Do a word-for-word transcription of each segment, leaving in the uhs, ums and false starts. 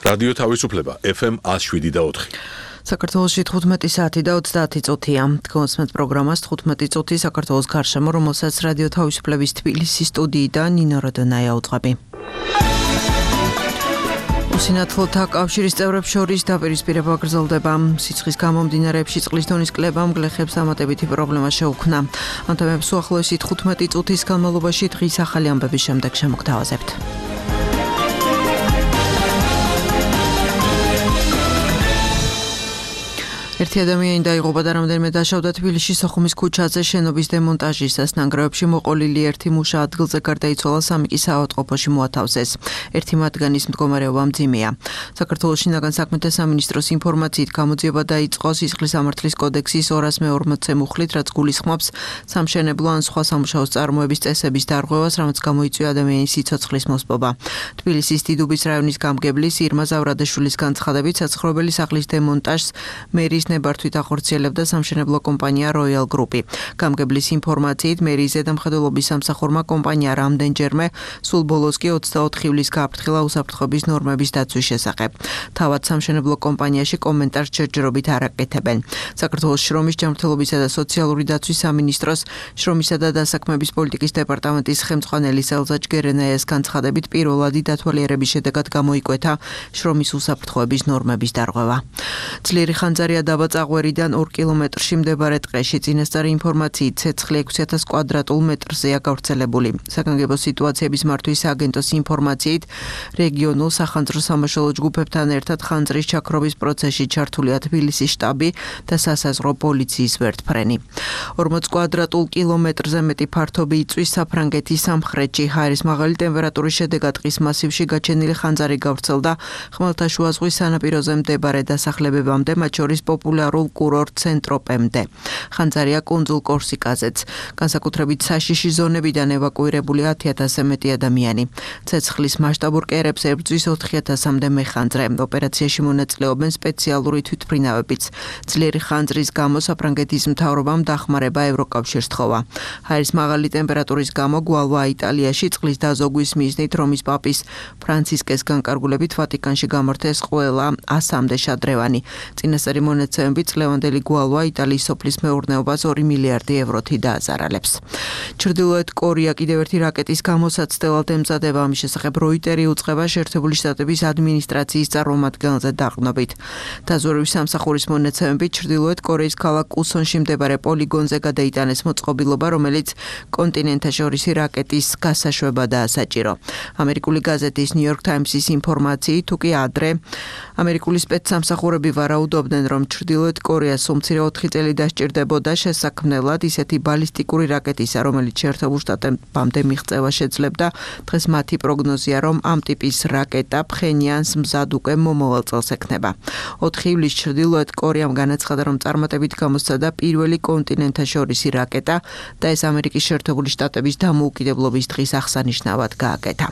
რადიო თავისუფლება ეფ ემ one oh seven და four. საქართველოში თხუთმეტი საათი და ოცდაათი წუთია. Თქვენს პროგრამას თხუთმეტი წუთი საქართველოს გარშემო, რომელსაც რადიო თავისუფლების თბილისის სტუდიიდან ნინო როდონაია უძღვები. უსინათლოთა კავშირის წევრებს შორის დაპირისპირება გრძელდება. სიცხის გამომდინარეებში წყლის დონის კლებამ გლეხებს ამატებითი პრობლემა შეუქმნა. ამ თემებს უახლოესი თხუთმეტი წუთის განმავლობაში დღის ახალი ამბების შემდეგ შემოგთავაზებთ. ერთი ადამიანი დაიღუპა და რამდენიმე დაშავდა თბილისში სოხუმის ქუჩაზე შენობის დემონტაჟისას. ნანგრევებში მოყოლილი ერთი მუშა ადგილზე გარდაიცვალა, სამი კი საავადმყოფოში მოათავსეს. ერთი მათგანის მდგომარეობა მძიმეა. საქართველოს შინაგან საქმეთა სამინისტროს ინფორმაციით გამოძიება დაიწყო სისხლის სამართლის კოდექსის ორასი მეორმოცე მუხლით, რაც გულისხმობს სამშენებლო ან სხვა სამუშაოს წარმოების წესების დარღვევას, რამაც გამოიწვია ადამიანის სიცოცხლის მოსპობა. თბილისის დიდუბის რაიონის გამგებლის ირმა ზავრადაშვილის განცხადებით, საცხოვრებელი სახლის დემონტაჟს მერის ნებართვით ახორციელებდა სამშენებლო კომპანია Royal Group-ი. გამგებლის ინფორმაციით, მერის ზედამხედველობის სამსახურმა კომპანია რამდენჯერმე სულ ბოლოს კი ოცდაოთხ ივლისს გააფრთხილა უსაფრთხოების ნორმების დაცვის შესახებ. თავად სამშენებლო კომპანიაში კომენტარს ჯერჯერობით არ აკეთებენ. საქართველოს შრომის, ჯანმრთელობისა და სოციალური დაცვის სამინისტროს შრომისა და დასაქმების პოლიტიკის დეპარტამენტის ხელმძღვანელი ელზა ჯგერენაიას განცხადებით, პირველადი დათვალიერების შედეგად გამოიკვეთა შრომის უსაფრთხოების ნორმების დარღვევა. ძლიერი ხანძარია დაბა წაღვერიდან ორ კილომეტრში მდებარე ტყეში. წინასწარი ინფორმაციით ცეცხლი ექვსი ათას კვადრატულ მეტრზეა გავრცელებული. საგანგებო სიტუაციების მართვის სააგენტოს ინფორმაციით, რეგიონულ სახანძრო სამაშველო ჯგუფებთან ერთად ხანძრის ჩაქრობის პროცესში ჩართულია თბილისის შტაბი და სასაზღვრო პოლიციის ვერტფრენი. ორმოც კვადრატულ კილომეტრზე მეტი ფართობი იწვის საფრანგეთის სამხრეთში. ჰაერის მაღალი ტემპერატურის შედეგად ტყის მასივში გაჩენილი ხანძარი გავრცელდა ხმელთაშუა ზღვის სანაპიროზე მდებარე დასახლებებამდე, მათ შორის პოპულარულ კურორტ ცენტროპემდე. ხანძარია კუნძულ კორსიკაზეც. განსაკუთრებით საშიში ზონებიდან ევაკუირებული ათი ათასზე მეტი ადამიანი. ცეცხლის მასშტაბურ კერებს ებრძვის ოთხი ათასამდე მეხანძრე. ოპერაციაში მონაწილეობენ სპეციალური თვითმფრინავებიც. ძლიერი ხანძრის გამო საფრანგეთის მთავრობამ დახმარება ევროკავშირს თხოვა. ჰაერის მაღალი ტემპერატურის გამო გვალვა იტალიაში წყლის დაზოგვის მიზნით რომის პაპის ფრანცისკეს განკარგულებით ვატიკანში გამართეს ყველა ასამდე შადრევანი. წინასწარი მონაცემებით წლევანდელი გვალვა იტალიის სოფლის მეურნეობას ორი მილიარდი ევროთი დააზარალებს. ჩრდილოეთ კორეა კიდევ ერთი რაკეტის გამოსაცდელად ემზადება. ამის შესახებ როიტერი უწყება შეერთებული შტატების ადმინისტრაციის წარმომადგენელზე დაყრდნობით. დაზვერვის სამსახურის მონაცემებით ჩრდილოეთ კორეის ქალაქ უსონში მდებარე პოლიგონზე გადაიტანეს მოწყობილობა, რომელიც კონტინენტაშორისი რაკეტის გასაშვებადაა საჭირო. ამერიკული გაზეთის New York Times-ის ინფორმაციით, თუ კი ადრე ამერიკული სპეცსამსახურები ვარაუდობდნენ, რომ ჩრდილოეთ კორეას უმცირე ოთხი წელი დასჭირდებოდა შესაქმნელად ისეთი ბალისტიკური რაკეტისა, რომელიც შეერთებულ შტატებამდე მიღწევა შეძლებდა. დღეს მათი პროგნოზია, რომ ამ ტიპის რაკეტა ფხენიანს მზად უკვე მომავალ წელს ექნება. ოთხი ივლისს ჩრდილოეთ კორეამ განაცხადა, რომ წარმატებით გამოსცადა პირველი კონტინენტაშორისი რაკეტა და ეს ამერიკის შეერთებული შტატების დამოუკიდებლობის დღის აღსანიშნავად გააკეთა.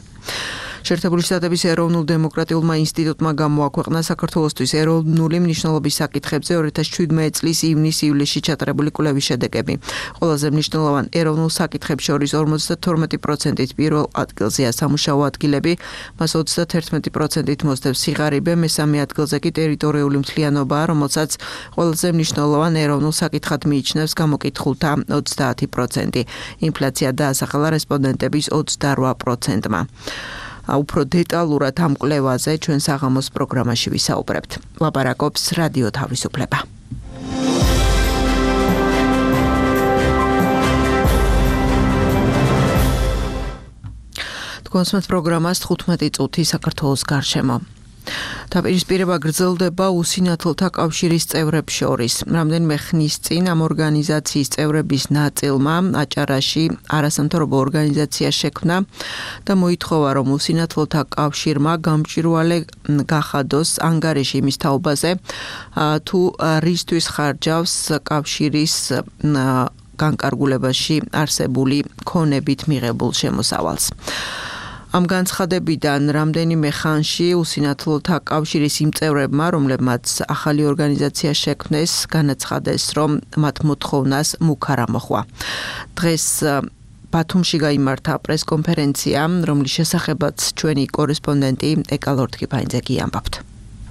შეერთებული შტატების ეროვნულ დემოკრატიულმა ინსტიტუტმა გამოაქვეყნა საქართველოსთვის ეროვნული მნიშვნელობის საკითხებზე ორი ათას შვიდმეტი წლის ივნის-ივლისში ჩატარებული კვლევის შედეგები. ყველაზე მნიშვნელოვან ეროვნულ საკითხებს შორის ორმოცდათორმეტი პროცენტით პირველ ადგილზეა სამუშაო ადგილები, მას ოცდაათერთმეტი პროცენტით მოსდევს სიღარიბე, მესამე ადგილზე კი ტერიტორიული მთლიანობაა, რომელსაც ყველაზე მნიშვნელოვან ეროვნულ საკითხად მიიჩნევს გამოკითხულთა ოცდაათი პროცენტი. ინფლაცია დაასახელა რესპონდენტების ოცდარვა პროცენტმა. უფრო დეტალურად ამ კვლევაზე ჩვენ საღამოს პროგრამაში ვისაუბრებთ. ლაპარაკობს რადიო თავისუფლება. თქვენს პროგრამას თხუთმეტი წუთი საქართველოს გარშემო. დაპირისპირება გრძელდება უსინათლოთა კავშირის წევრებს შორის. რამდენიმე ხნის წინ ამ ორგანიზაციის წევრების ნაწილმა აჭარაში არასამთავრობო ორგანიზაცია შექმნა და მოითხოვა, რომ უსინათლოთა კავშირმა გამჭვირვალე გახადოს ანგარიში იმის თაობაზე, თუ რისთვის ხარჯავს კავშირის განკარგულებაში არსებული ქონებით მიღებულ შემოსავალს. ამ განცხადებიდან რამდენიმე ხანში უსინათლოთა კავშირის იმ წევრებმა, რომლებმაც ახალი ორგანიზაცია შექმნეს, განაცხადეს, რომ მათ მოთხოვნას მუქ არ ამოხვა. დღეს ბათუმში გაიმართა პრესკონფერენცია, რომლის შესახებაც ჩვენი კორესპონდენტი ეკა ლორთქიფანიძე ამბობთ.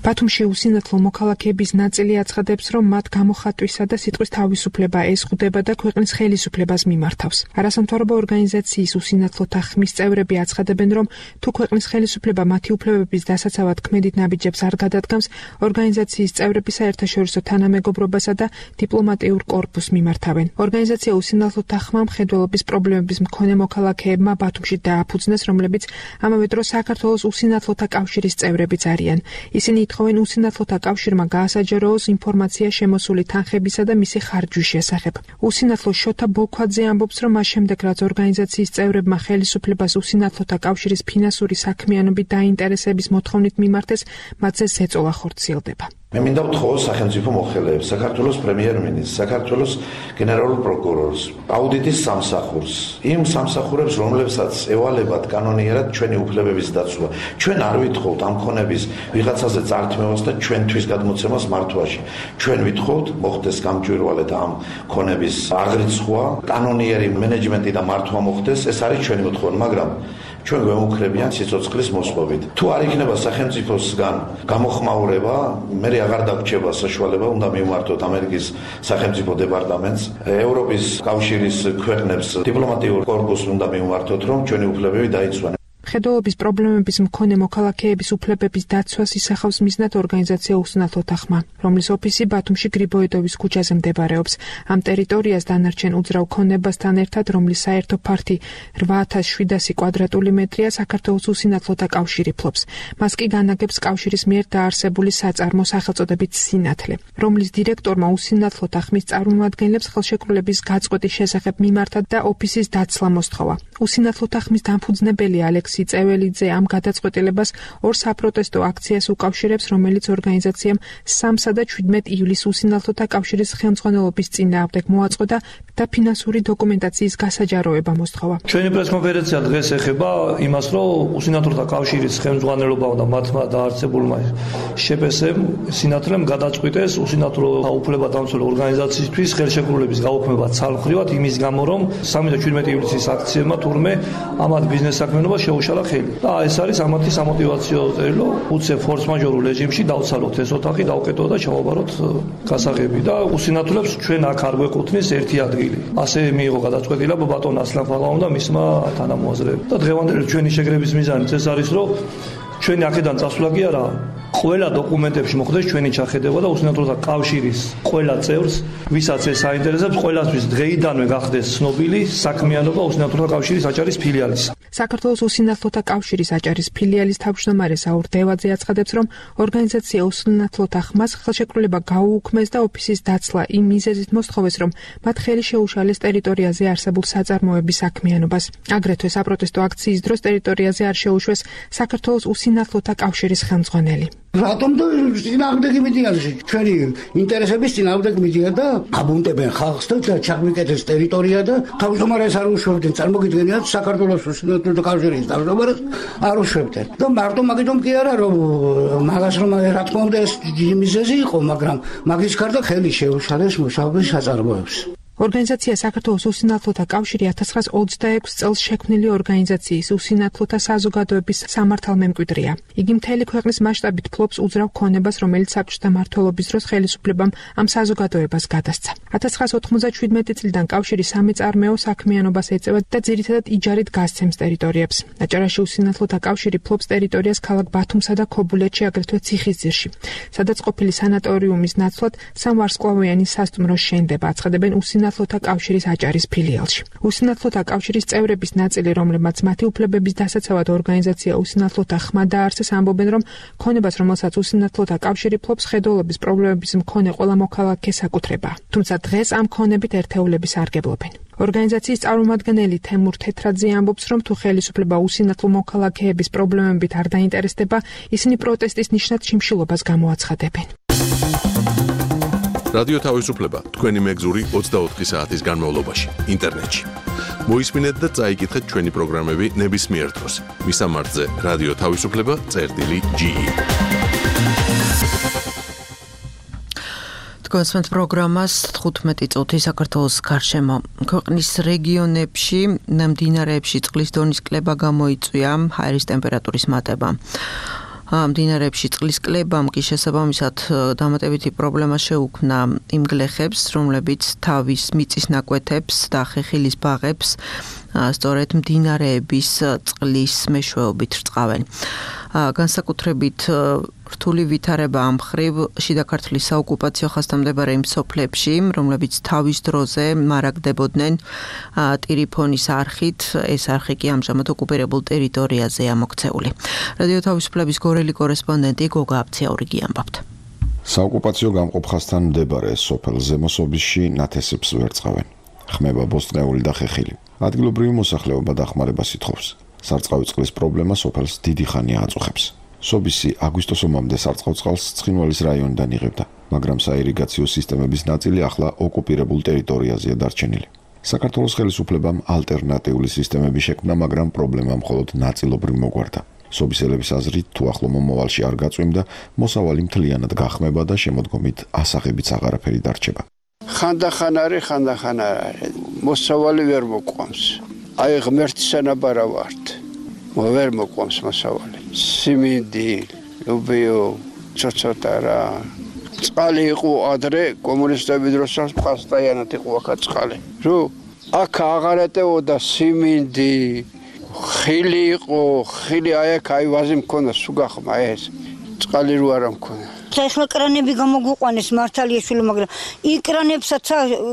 ბათუმში უსინათლო მოქალაქეების ნაწილი აცხადებს, რომ მათ გამოხატვისა და სიტყვის თავისუფლება ezღუდება და ქვეყნის ხელისუფლებას მიმართავს. არასამთავრობო ორგანიზაციის უსინათლოთა ხმის წევრები აცხადებენ, რომ თუ ქვეყნის ხელისუფლება მათი უფლებების დასაცავად ქმედით ნაბიჯებს არ გადადგამს, ორგანიზაციის წევრები საერთაშორისო თანამეგობრობასა და დიპლომატიურ კორპუსს მიმართავენ. ორგანიზაცია უსინათლოთა ხმა მხედველობის პრობლემების მქონე მოქალაქეებმა ბათუმში დააფუძნეს, რომლებიც ამავე დროს საქართველოს უსინათლოთა კავშირის წევრებიც არიან. ისინი ითხოვენ უსინათლოთა კავშირმა გაასაჯაროოს ინფორმაცია შემოსული თანხებისა და მისი ხარჯვის შესახებ. უსინათლო შოთა ბოლქვაძე ამბობს, რომ მას შემდეგ, რაც ორგანიზაციის წევრებმა ხელისუფლებას უსინათლოთა კავშირის ფინანსური საქმიანობით დაინტერესების მოთხოვნით მიმართეს, მათზე ზეწოლა ხორციელდება. მე მინდა ვთხოვო სახელმწიფო მოხელეებს, საქართველოს პრემიერ-მინისტრს, საქართველოს გენერალურ პროკურორს, აუდიტის სამსახურს, იმ სამსახურებს, რომლებსაც ევალებათ კანონიერად ჩვენი უფლებების დაცვა. ჩვენ არ ვითხოვთ ამ ქონების ვიღაცაზე წართმევას და ჩვენთვის გადმოცემას მართვაში. ჩვენ ვითხოვთ მოხდეს გამჭვირვალედ ამ ქონების აღრიცხვა, კანონიერი მენეჯმენტი და მართვა მოხდეს, ეს არის ჩვენი მოთხოვნა, მაგრამ ჩვენ გვემუქრებიან სიცოცხლის მოსვლობით. თუ არ იქნება სახელმწიფოსგან გამოხმაურება, მე აღარ დაგვრჩება საშუალება, უნდა მივმართოთ ამერიკის სახელმწიფო დეპარტამენტს, ევროპის კავშირის ქვეყნებს, დიპლომატიურ კორპუსს უნდა მივმართოთ, რომ ჩვენი უფლებები დაიცვან. მხედველობის პრობლემების მქონე მოქალაქეების უფლებების დაცვას ისახავს მიზნად ორგანიზაცია უსინათლოთა ხმა, რომლის ოფისი ბათუმში გრიბოედოვის ქუჩაზე მდებარეობს. ამ ტერიტორიას დანარჩენ უძრავ ქონებასთან ერთად, რომლის საერთო ფართი რვა ათას შვიდასი კვადრატული მეტრია, საქართველოს უსინათლოთა კავშირი ფლობს. მას კი განაგებს კავშირის მიერ დაარსებული საწარმო სახელწოდებით სინათლე, რომლის დირექტორმა უსინათლოთა ხმის წარმომადგენლებს ხელშეკრულების გაწყვეტის შესახებ მიმართა და ოფისის დაცლა მოსთხოვა. უსინათლოთა ხმის დამფუძნებელი ალექსი წეველიძე ამ გადაწყვეტილებას ორ საპროტესტო აქციას უკავშირებს, რომელიც ორგანიზაციამ სამსა და შვიდმეტ ივლისს უსინათლოთა კავშირის ხელმძღვანელობის წინააღმდეგ მოაწყო და ფინანსური დოკუმენტაციის გასაჯაროება მოსთხოვა. ჩვენი პრესკონფერენცია დღეს ეხება იმას, რომ უსინათლოთა კავშირის ხელმძღვანელობამ და მათმა დაარსებულმა შპს-მ სინათლემ გადაწყვიტეს უსინათლო უფლებადამცველ ორგანიზაციისთვის ხელშეკრულების გაუქმება ცალმხრივად იმის გამო, რომ სამი და შვიდმეტი ივლისის აქციებმა თურმე ამათ ბიზნეს საქმიანობა შეუშალა ხელი. და ეს არის ამათი სამოტივაციო წერილო, უცებ ფორს-მაჟორულ რეჟიმში დავცალოთ ეს ოთახი, დავკეტოთ და ჩავაბაროთ გასაღები და უსინათლებს ჩვენ აქ არ გვეკუთვნის ერთი ადგილი. ასე მიიღო გადაწყვეტილება ბატონ ასლან ფაღავამ და მისმა თანამოაზრეებმა. და დღევანდელი ჩვენი შეკრების მიზანიც ეს არის, რომ ჩვენი აქედან წასვლა კი არა, ყველა დოკუმენტებში მოხდეს ჩვენი ჩახედება და უსინათლოთა კავშირის ყველა წევრს, ვისაც ეს აინტერესებს, ყველასთვის დღეიდანვე გახდეს ცნობილი საქმიანობა უსინათლოთა კავშირის აჭარის ფილიალის. საქართველოს უსინათლოთა კავშირის აჭარის ფილიალის თავმჯდომარე საურ დევაძე აცხადებს, რომ ორგანიზაცია უსინათლოთა ხმას ხელშეკრულება გაუუქმეს და ოფისის დაცლა იმ მიზეზით მოსთხოვეს, რომ მათ ხელი შეუშალეს ტერიტორიაზე არსებულ საწარმოების საქმიანობას. აგრეთვე საპროტესტო აქციის დროს ტერიტორიაზე არ შეუშვეს საქართველოს უსინათლოთა კავშირის ხელმძღვანელი. რატომ და წინააღმდეგი მიდიან ჩვენი ინტერესების წინააღმდეგ მიდიან და აბუნტებენ ხალხს და ჩაგვიკეთეს ტერიტორია და თავმჯდომარეს არ უშვებდნენ. წარმოგიდგენიათ საქართველოს უსინათლოთა კავშირის თავმჯდომარეს არ უშვებდნენ. და მარტო მაგიტომ კი არა, რომ მაგას რომ რა თქმა უნდა ეს მიზეზი იყო, მაგრამ მაგის გარდა ხელი შეუშალეს მუშაობის საწარმოებს. ორგანიზაცია საქართველოს უსინათლოთა კავშირი ათას ცხრაას ოცდაექვსი წელს შექმნილი ორგანიზაციის უსინათლოთა საზოგადოების სამართალმემკვიდრეა. იგი მთელი ქვეყნის მასშტაბით ფლობს უძრავ ქონებას, რომელიც საბჭოთა მმართველობის დროს ხელისუფლებამ ამ საზოგადოებას გადასცა. ათას ცხრაას ოთხმოცდაშვიდმეტი წლიდან კავშირი სამეწარმეო საქმიანობას ეწევა და ძირითადად იჯარით გასცემს ტერიტორიებს. აჭარაში უსინათლოთა კავშირი ფლობს ტერიტორიას ქალაქ ბათუმსა და ქობულეთში, აგრეთვე ციხისძირში, სადაც ყოფილი სანატორიუმის ნაცვლად სამვარსკვლავიანი სასტუმრო შენდება, აცხადებენ უსინათლოთა კავშირის აჭარის ფილიალში. უსინათლოთა კავშირის წევრების ნაწილი, რომლებმაც მათი უფლებების დასაცავად ორგანიზაცია უსინათლოთა ხმა დაარსეს, ამბობენ, რომ ქონებას, რომელსაც უსინათლოთა კავშირი ფლობს, ხედველობის პრობლემების მქონე ყველა მოქალაქეს აკუთრება. თუმცა დღეს ამ ქონებით ერთეულები სარგებლობენ. ორგანიზაციის წარმომადგენელი თემურ თეთრაძე ამბობს, რომ თუ ხელისუფლება უსინათლო მოქალაქეების პრობლემებით არ დაინტერესდება, ისინი პროტესტის ნიშნად შიმშილობას გამოაცხადებენ. რადიო თავისუფლება თქვენი მეგზური ოცდაოთხი საათის განმავლობაში ინტერნეტში. მოისმინეთ და წაიკითხეთ ჩვენი პროგრამები ნებისმიერ დროს. მისამართზე რადიო თავისუფლება წერტილი ჯი ი. გასმენთ პროგრამას თხუთმეტი წუთი საქართველოს გარშემო. ქვეყნის რეგიონებში მდინარეებში წყლის დონის კლება გამოიწვია, ჰაერის ტემპერატურის მატება. მდინარეებში წყლის კლებამ კი შესაბამისად დამატებითი პრობლემა შეუქმნა იმ გლეხებს, რომლებიც თავის მიწის ნაკვეთებს და ხეხილის ბაღებს სწორედ მდინარეების წყლის მეშვეობით რწყავენ. განსაკუთრებით რთული ვითარება ამ მხრივ შიდა ქართლის საოკუპაციო ხასთან იმ სოფლებში, რომლებიც თავის დროზე მარაგდებოდნენ ტირიფონის არხით, ეს არხი კი ამჟამად ოკუპირებულ ტერიტორიაზეა მოქცეული. რადიო თავისუფლების გორელი კორესპონდენტი გოგა აბციაურიგი ამბობთ. საოკუპაციო გამყოფხასთან მდებარე სოფელ ზემოსობისში ნათესებს ვერ წყავენ. ხმება ბოსტნეული და ხეხილი. ადგილობრივი მოსახლეობა დახმარებას ითხოვს. სარწყავი წყლის პრობლემა სოფელს დიდი ხანია აწუხებს. სობისი აგვისტოს ომამდე სარწყავ წყალს ცხინვალის რაიონიდან იღებდა, მაგრამ საირიგაციო სისტემების ნაწილი ახლა ოკუპირებულ ტერიტორიაზეა დარჩენილი. საქართველოს ხელისუფლებამ ალტერნატიული სისტემები შექმნა, მაგრამ პრობლემა მხოლოდ ნაწილობრივ მოგვარდა. სობისელების აზრით, თუ ახლო მომავალში არ გაწვიმდა, მოსავალი მთლიანად გახმება და შემოდგომით ასაღებიც აღარაფერი დარჩება. ხანდახან არის, ხანდახან არ არის. მოსავალი ვერ მოყვამს. აი ღმერთი სანაბარა ვართ. ვერ მოყვამს მოსავალი. სიმინდი, უბიო, ცოცხალ რა. წყალი იყო ადრე კომუნისტების დროსაც პასტაიანად იყო აქ წყალი. რო აქ აღარ ეტეოდა სიმინდი, ხილი იყო, ხილი აი აქ აი ვაზი მქონდა სუგახმა ეს. წყალი რო არ მქონდა. ეხლა კრანები გამოგვიყვანეს მართალია, მაგრამ იკრანებსაც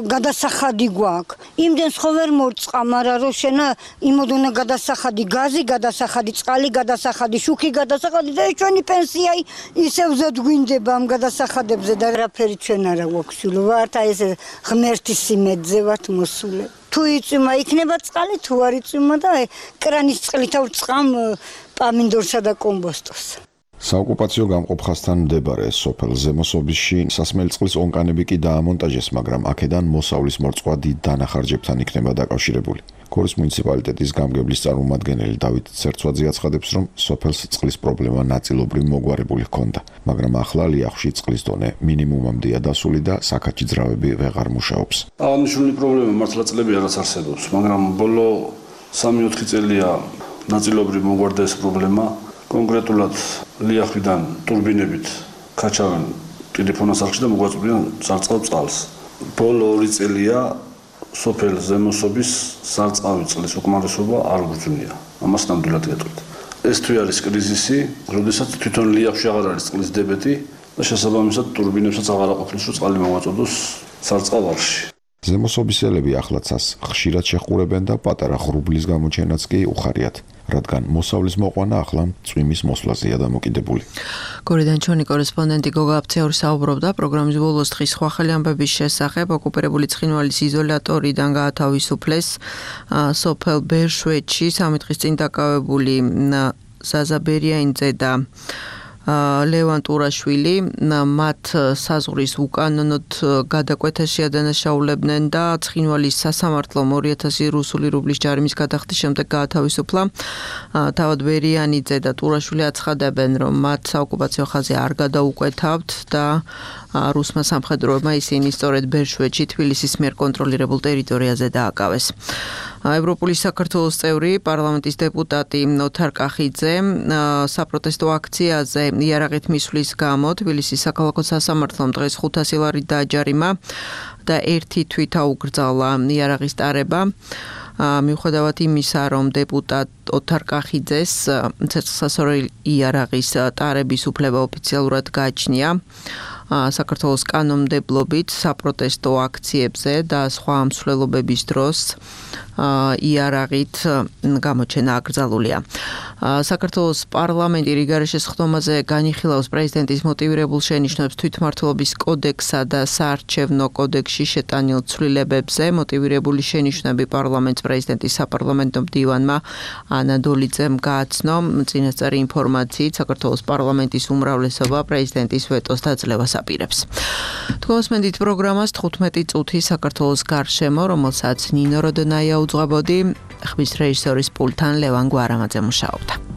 გადასახადი გვაქვს. იმდენს ხო ვერ მორწყა, მაგრამ რო შენა იმოდუნა გადასახადი, გაზი გადასახადი, წყალი გადასახადი, შუქი გადასახადი და ჩვენი პენსია ისევ ზედგვინდება ამ გადასახადებზე და რაფერი ჩვენ არა გვაქვს. ვართ აი ეს ღმერთის სიმედზე ვართ მოსულე. თუ იწვიმა იქნება წყალი, თუ არ იწვიმა და კრანის წყლით ავწყამ პამინდორსა და კომბოსტოს. საოკუპაციო გამყოფხასთან მდებარე სოფელ ზემოსობისში სასმელი წყლის ონკანები კი დაამონტაჟეს, მაგრამ აქედან მოსავლის მორწყვა დიდ დანახარჯებთან იქნება დაკავშირებული. გორის მუნიციპალიტეტის გამგებლის წარმომადგენელი დავით ცერცვაძე აცხადებს, რომ სოფელს წყლის პრობლემა ნაწილობრივ მოგვარებული ჰქონდა, მაგრამ ახლა ლიახში წყლის დონე მინიმუმამდეა დასული და საქაჩი ძრავები ვეღარ მუშაობს. აღნიშნული პრობლემა მართლა წლები არც არსებობს, მაგრამ ბოლო სამი ოთხი წელია ნაწილობრივ მოგვარდა ეს პრობლემა. კონკრეტულად ლიახვიდან ტურბინებით ქაჩავენ ტელეფონას არხში და მოგვაწვდიან სარწყავ წყალს. ბოლო ორი წელია სოფელ ზემოსობის სარწყავი წყლის უკმარისობა არ გვძვნია. ამას ნამდვილად გეტყვით. ეს თუ არის კრიზისი, როდესაც თვითონ ლიახვში აღარ არის წყლის დებეტი და შესაბამისად ტურბინებსაც აღარ აყოფილს, რომ წყალი მოვაწოდოს სარწყავ არხში. ზემოსობისელები ახლაცას ხშირად შეჰყურებენ და პატარა ღრუბლის გამოჩენაც კი უხარიათ, რადგან მოსავლის მოყვანა ახლა წვიმის მოსვლაზეა დამოკიდებული. გორიდან ჩვენი კორესპონდენტი გოგა აბციური საუბრობდა პროგრამის ბოლოს დღის სხვა ხელი ამბების შესახებ ოკუპირებული ცხინვალის იზოლატორიდან გაათავისუფლეს სოფელ ბერშვეთში სამი დღის წინ დაკავებული ზაზა ბერიანიძე და ლევან ტურაშვილი მათ საზღვრის უკანონოდ გადაკვეთას შეადანაშაულებდნენ და ცხინვალის სასამართლომ ორი ათასი რუსული რუბლის ჯარიმის გადახდის შემდეგ გაათავისუფლა. თავად ბერიანიძე და ტურაშვილი აცხადებენ, რომ მათ საოკუპაციო ხაზი არ გადაუკვეთავთ და რუსმა სამხედროებმა ისინი სწორედ ბერშვეთში თბილისის მიერ კონტროლირებულ ტერიტორიაზე დააკავეს. ევროპული საქართველოს წევრი პარლამენტის დეპუტატი ოთარ კახიძე საპროტესტო აქციაზე იარაღით მისვლის გამო თბილისის საქალაქო სასამართლომ დღეს ხუთასი ლარი დააჯარიმა და ერთი თვით აუკრძალა იარაღის ტარება. მიუხედავად იმისა, რომ დეპუტატ ოთარ კახიძეს ცეცხლსასროლი იარაღის ტარების უფლება ოფიციალურად გააჩნია, საქართველოს კანონმდებლობით საპროტესტო აქციებზე და სხვა მსვლელობების დროს იარაღით გამოჩენა აკრძალულია. საქართველოს პარლამენტი რიგარეშე სხდომაზე განიხილავს პრეზიდენტის მოტივირებულ შენიშვნებს თვითმმართველობის კოდექსსა და საარჩევნო კოდექსში შეტანილ ცვლილებებზე. მოტივირებული შენიშვნები პარლამენტს პრეზიდენტის sapარლამენტო მდივანმა ანა დოლიძემ გააცნო. წინასწარი ინფორმაციით საქართველოს პარლამენტის უმრავლესობა პრეზიდენტის ვეტოს დაძლევას აპირებს. თქოსმენდით პროგრამას თხუთმეტი წუთი საქართველოს გარშემო, რომელსაც ნინო როდონაია უძღვებოდი, ხმის რეჟისორის პულტთან ლევან გვარამაძე მუშაობდა.